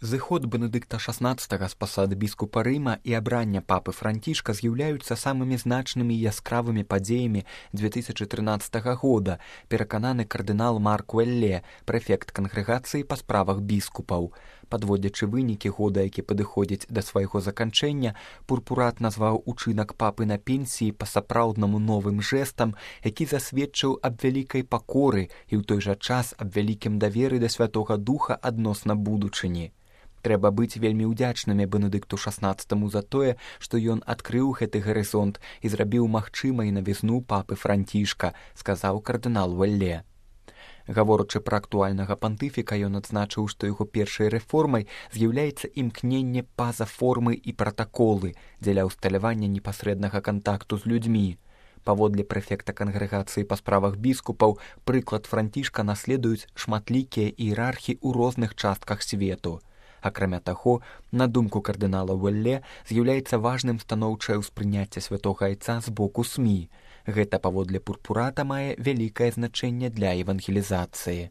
Зыход Бенедыкта XVI з пасады біскупа Рыма і абрання папы Францішка з'яўляюцца самымі значнымі і яскравымі падзеямі 2013 года, перакананы кардынал Марк Уэлле, прэфект кангрэгацыі па справах біскупаў. Падводзячы вынікі года, які падыходзіць да свайго заканчэння, пурпурат назваў учынак папы на пенсіі па-сапраўднаму новым жэстам, які засведчыў аб вялікай пакоры і ў той жа час аб вялікім даверы да Святога Духа адносна будучыні. Трэба быць вельмі ўдзячнымі Бенедыкту XVI за тое, што ён адкрыў гэты гарызонт і зрабіў магчымай навізну папы Францішка, сказаў кардынал Уэлле. Гаворачы пра актуальнага пантыфіка, ён адзначыў, што яго першай рэформай з'яўляецца імкненне па-за формы і пратаколы дзеля ўсталявання непасрэднага кантакту з людзьмі. Паводле прэфекта кангрэгацыі па справах біскупаў, прыклад Францішка наследуюць шматлікія іерархі ў розных частках свету. Акрамя таго, на думку кардынала Уэлле, з'яўляецца важным станоўчае ўспрыняцце святога айца з боку СМІ. Гэта, паводле пурпурата, мае вялікае значэнне для евангелізацыі.